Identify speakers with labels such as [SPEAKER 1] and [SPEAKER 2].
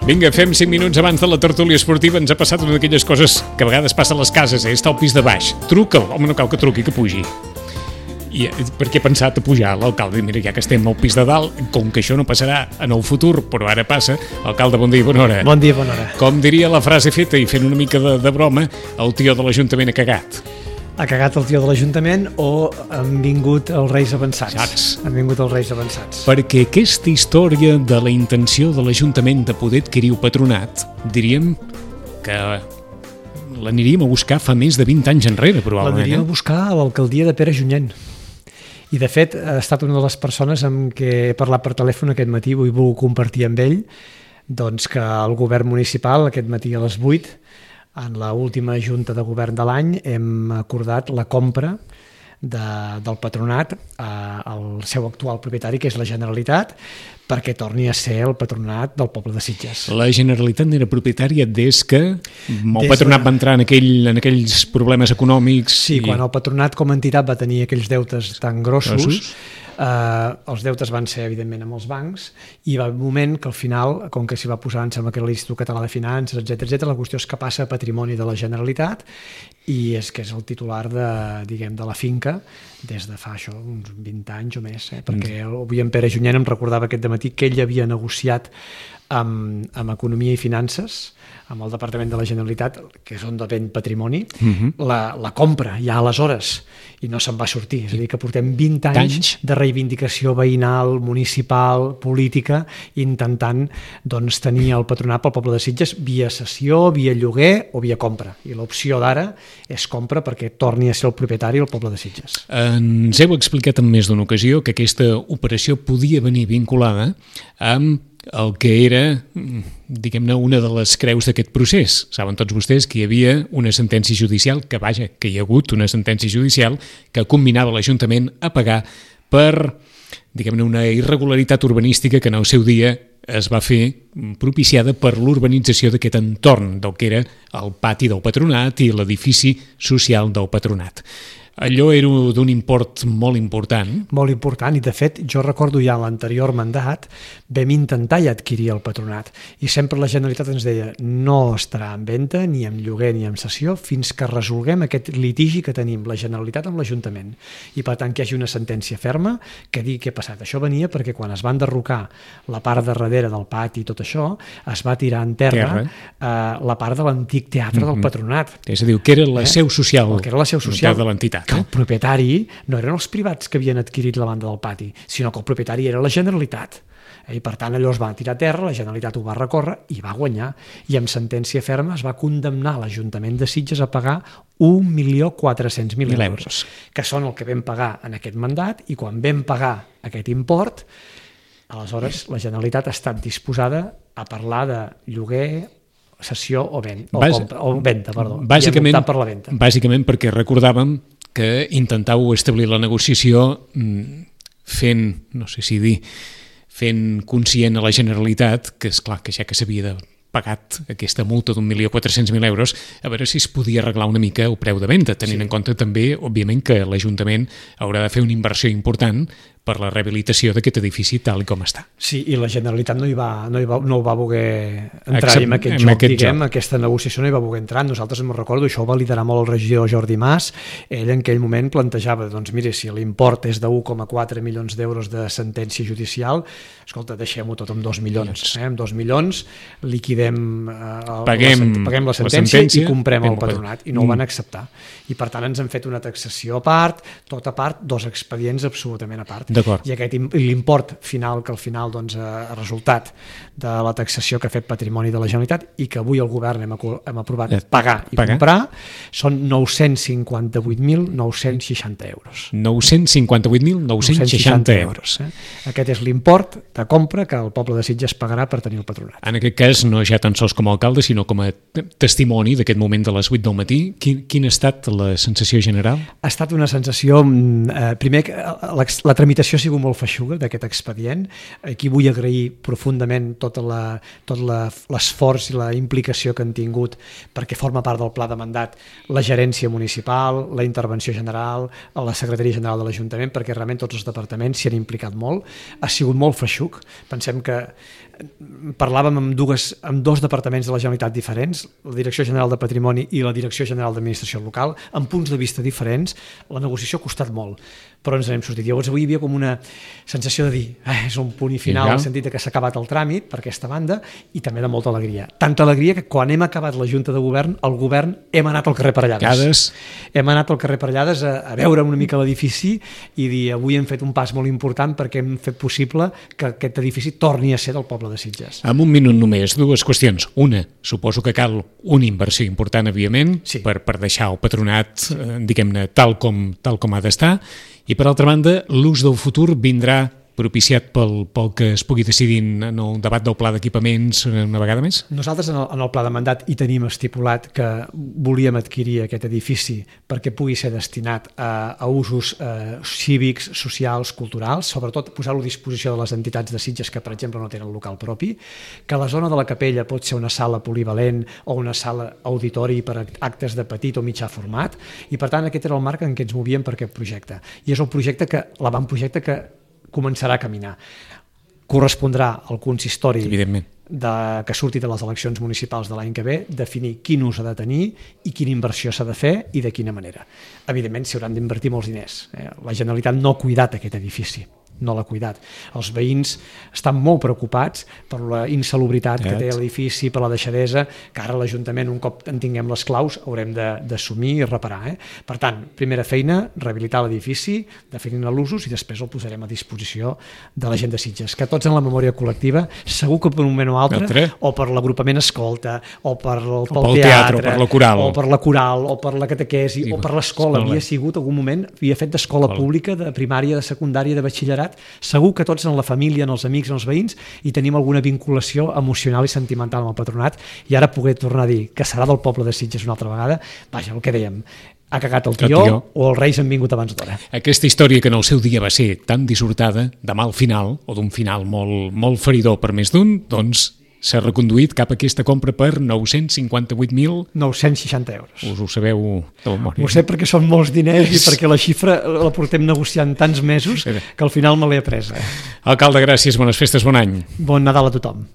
[SPEAKER 1] Vinga, fem 5 minuts abans de la tertúlia esportiva. Ens ha passat una d'aquelles coses que a vegades passa a les cases, Està al pis de baix. Truca'l. Home, no cal que truqui, que pugi. I perquè he pensat a pujar l'alcalde. Mira, ja que estem al pis de dalt, com que això no passarà en el futur, però ara passa. Alcalde, bon dia i bona hora.
[SPEAKER 2] Bon dia i bona hora.
[SPEAKER 1] Com diria la frase feta i fent una mica de broma, el tio de l'Ajuntament ha cagat.
[SPEAKER 2] Ha cagat el tio de l'Ajuntament o han vingut els Reis Avançats?
[SPEAKER 1] Saps?
[SPEAKER 2] Han vingut els Reis Avançats.
[SPEAKER 1] Perquè aquesta història de la intenció de l'Ajuntament de poder adquirir el patronat, diríem que l'aniríem a buscar fa més de 20 anys enrere, probablement.
[SPEAKER 2] L'aniríem a buscar a l'alcaldia de Pere Junyent. I, de fet, ha estat una de les persones amb què he parlat per telèfon aquest matí, vull compartir amb ell, doncs que el govern municipal, aquest matí a les 8, en l'última junta de govern de l'any, hem acordat la compra del patronat al seu actual propietari, que és la Generalitat, perquè torni a ser el patronat del poble de Sitges.
[SPEAKER 1] La Generalitat n'era propietària des que el patronat va entrar en aquells problemes econòmics.
[SPEAKER 2] Sí, quan el patronat com a entitat va tenir aquells deutes tan grossos, els deutes van ser evidentment amb els bancs i va haver un moment que al final, com que s'hi va posar, em sembla que era l'Institut Català de Finances, etc, la qüestió és que passa a patrimoni de la Generalitat i és que és el titular de la finca des de fa això, uns 20 anys o més, perquè avui en Pere Junyent em recordava aquest dematí que ell havia negociat amb Economia i Finances, amb el Departament de la Generalitat, que és on depèn patrimoni, la compra ja aleshores, i no se'n va sortir. És a dir, que portem 20 anys de reivindicació veïnal, municipal, política, intentant doncs, tenir el patronat pel poble de Sitges via cessió, via lloguer o via compra. I l'opció d'ara és compra perquè torni a ser el propietari el poble de Sitges.
[SPEAKER 1] Ens heu explicat en més d'una ocasió que aquesta operació podia venir vinculada amb el que era, diguem-ne, una de les creus d'aquest procés. Saben tots vostès que hi havia una sentència judicial, que hi ha hagut una sentència judicial que combinava l'Ajuntament a pagar per, diguem-ne, una irregularitat urbanística que en el seu dia es va fer propiciada per l'urbanització d'aquest entorn del que era el pati del patronat i l'edifici social del patronat. Allò era d'un import molt important.
[SPEAKER 2] Molt important, i de fet jo recordo ja l'anterior mandat vam intentar ja adquirir el patronat i sempre la Generalitat ens deia no estarà en venda, ni en lloguer ni en cessió fins que resolguem aquest litigi que tenim la Generalitat amb l'Ajuntament i per tant que hi hagi una sentència ferma que digui què ha passat. Això venia perquè quan es va enderrocar la part de darrere del pati i tot això es va tirar en terra la part de l'antic teatre del patronat.
[SPEAKER 1] És a dir, que era la seu social,
[SPEAKER 2] que era la seu social
[SPEAKER 1] de l'entitat.
[SPEAKER 2] Que el propietari no eren els privats que havien adquirit la banda del pati, sinó que el propietari era la Generalitat. I per tant allò es va tirar a terra, la Generalitat ho va recórrer i va guanyar. I amb sentència ferma es va condemnar l'Ajuntament de Sitges a pagar 1.400.000 euros, que són el que vam pagar en aquest mandat, i quan vam pagar aquest import, aleshores la Generalitat ha estat disposada a parlar de lloguer, cessió o venda,
[SPEAKER 1] Bàsicament perquè recordàvem que intentàveu establir la negociació fent conscient a la Generalitat que, esclar, que ja que s'havia pagat aquesta multa d'1.400.000 euros, a veure si es podia arreglar una mica el preu de venda, tenint en compte també, òbviament, que l'Ajuntament haurà de fer una inversió important per la rehabilitació d'aquest edifici tal com està.
[SPEAKER 2] Sí, i la Generalitat no ho va voler entrar en aquest joc. Aquesta negociació no hi va voler entrar. Nosaltres em recordo, això ho va liderar molt el regidor Jordi Mas, ell en aquell moment plantejava, doncs mire, si l'import és de 1,4 milions d'euros de sentència judicial, escolta, deixem-ho tot amb 2 milions. Amb 2 milions liquidem paguem la sentència i comprem el patronat, i no ho van acceptar. I per tant ens han fet una taxació a part, tot a part, 2 expedients absolutament a part. I l'import final, que al final ha resultat de la taxació que ha fet Patrimoni de la Generalitat i que avui el govern hem aprovat pagar i comprar, són 958.960 euros.
[SPEAKER 1] 958.960 euros.
[SPEAKER 2] Aquest és l'import de compra que el poble de Sitges pagarà per tenir el patronat.
[SPEAKER 1] En aquest cas, no ja tan sols com a alcalde, sinó com a testimoni d'aquest moment de les 8 del matí, quina ha estat la sensació general?
[SPEAKER 2] Ha estat una sensació, primer, la tramitació tramitació ha sigut molt feixuga d'aquest expedient. Aquí vull agrair profundament tot l'esforç i la implicació que han tingut, perquè forma part del pla de mandat, la gerència municipal, la intervenció general, la secretaria general de l'Ajuntament, perquè realment tots els departaments s'hi han implicat molt. Ha sigut molt feixuc. Pensem que parlàvem amb dos departaments de la Generalitat diferents, la Direcció General de Patrimoni i la Direcció General d'Administració Local, amb punts de vista diferents. La negociació ha costat molt, però ens n'hem sortit. Llavors avui hi havia com una sensació de dir és un punt i final, en el sentit que s'ha acabat el tràmit per aquesta banda, i també de molta alegria. Tanta alegria que quan hem acabat la Junta de Govern, el govern hem anat al carrer Parellades. Hem anat al carrer Parellades a veure una mica l'edifici i dir avui hem fet un pas molt important perquè hem fet possible que aquest edifici torni a ser del poble de Sitges.
[SPEAKER 1] En un minut només, dues qüestions. Una, suposo que cal una inversió important, evidentment, per deixar el patronat, diguem-ne, tal com ha d'estar, i per altra banda, l'ús del futur vindrà propiciat pel que es pugui decidir en el debat del pla d'equipaments una vegada més?
[SPEAKER 2] Nosaltres en el pla de mandat hi tenim estipulat que volíem adquirir aquest edifici perquè pugui ser destinat a usos cívics, socials, culturals, sobretot posar-lo a disposició de les entitats de Sitges que, per exemple, no tenen local propi, que la zona de la capella pot ser una sala polivalent o una sala auditori per actes de petit o mitjà format, i per tant aquest era el marc en què ens movíem per aquest projecte. I és un projecte l'avantprojecte que començarà a caminar. Correspondrà al consistori que surti de les eleccions municipals de l'any que ve definir quin ús ha de tenir i quina inversió s'ha de fer i de quina manera. Evidentment s'hi hauran d'invertir molts diners. La Generalitat no ha cuidat aquest edifici, no l'ha cuidat. Els veïns estan molt preocupats per la insalubritat que té l'edifici, per la deixadesa, que ara l'Ajuntament, un cop en tinguem les claus, haurem d'assumir i reparar. Per tant, primera feina, rehabilitar l'edifici, definir l'usos, i després el posarem a disposició de la gent de Sitges, que tots en la memòria col·lectiva, segur que per un moment o altre, o per l'agrupament escolta, o pel teatre,
[SPEAKER 1] o per la coral,
[SPEAKER 2] o per la catequesi, o per l'escola, havia sigut algun moment, havia fet d'escola pública, de primària, de secundària, de batxillerat. Segur que tots en la família, en els amics, en els veïns, hi tenim alguna vinculació emocional i sentimental amb el patronat, i ara poder tornar a dir que serà del poble de Sitges una altra vegada, vaja, el que dèiem, ha cagat el tió o els reis han vingut abans d'hora.
[SPEAKER 1] Aquesta història que en el seu dia va ser tan dissortada, de mal final, o d'un final molt feridor per més d'un, doncs s'ha reconduït cap a aquesta compra per
[SPEAKER 2] 958.960 euros.
[SPEAKER 1] Us ho sabeu de memòria?
[SPEAKER 2] Ho sé perquè són molts diners i perquè la xifra la portem negociant tants mesos que al final me l'he apresa.
[SPEAKER 1] Alcalde, gràcies, bones festes, bon any.
[SPEAKER 2] Bon Nadal a tothom.